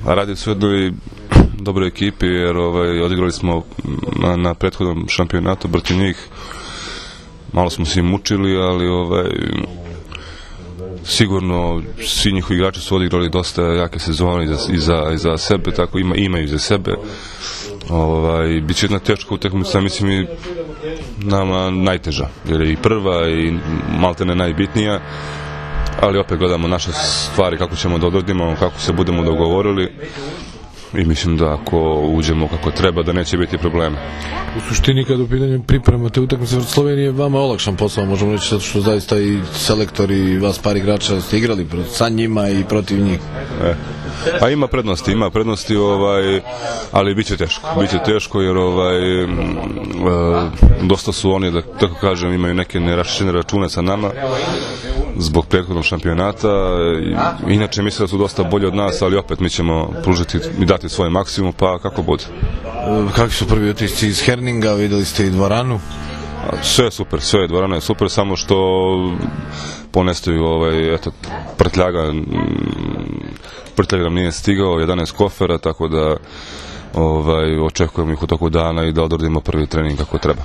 Radi se u jednoj dobroj ekipi, jer odigrali smo na prethodnom šampionatu protiv njih. Malo smo se mučili, ali sigurno svi njihovi igrači su odigrali dosta jake sezone iza sebe, tako imaju iza sebe. Biće jedna teška utakmica, mislim i nama najteža, jer je i prva i maltene najbitnija, ali opet gledamo naše stvari kako ćemo da odradimo, kako se budemo dogovorili i mislim da ako uđemo kako treba da neće biti problema. U suštini kad u pitanju pripremate utakmice protiv Slovenije, vama je olakšan posao, možemo reći, zato što zaista i selektori i vas par igrača ste igrali sa njima i protiv njih. Pa ima prednosti, ali biće teško jer dosta su oni, da tako kažem, imaju neke neraščene račune sa nama zbog prethodnog šampionata. Inače mislim da su dosta bolji od nas, ali opet mi ćemo pružiti i dati svoj maksimum, pa kako bude. Kakvi su prvi utisci iz Herninga, videli ste i dvoranu? Sve je super, dvorana je super, samo što ponestaju prtljaga nam nije stigao, 11 kofera, tako da očekujemo ih u toku dana i da odradimo prvi trening kako treba.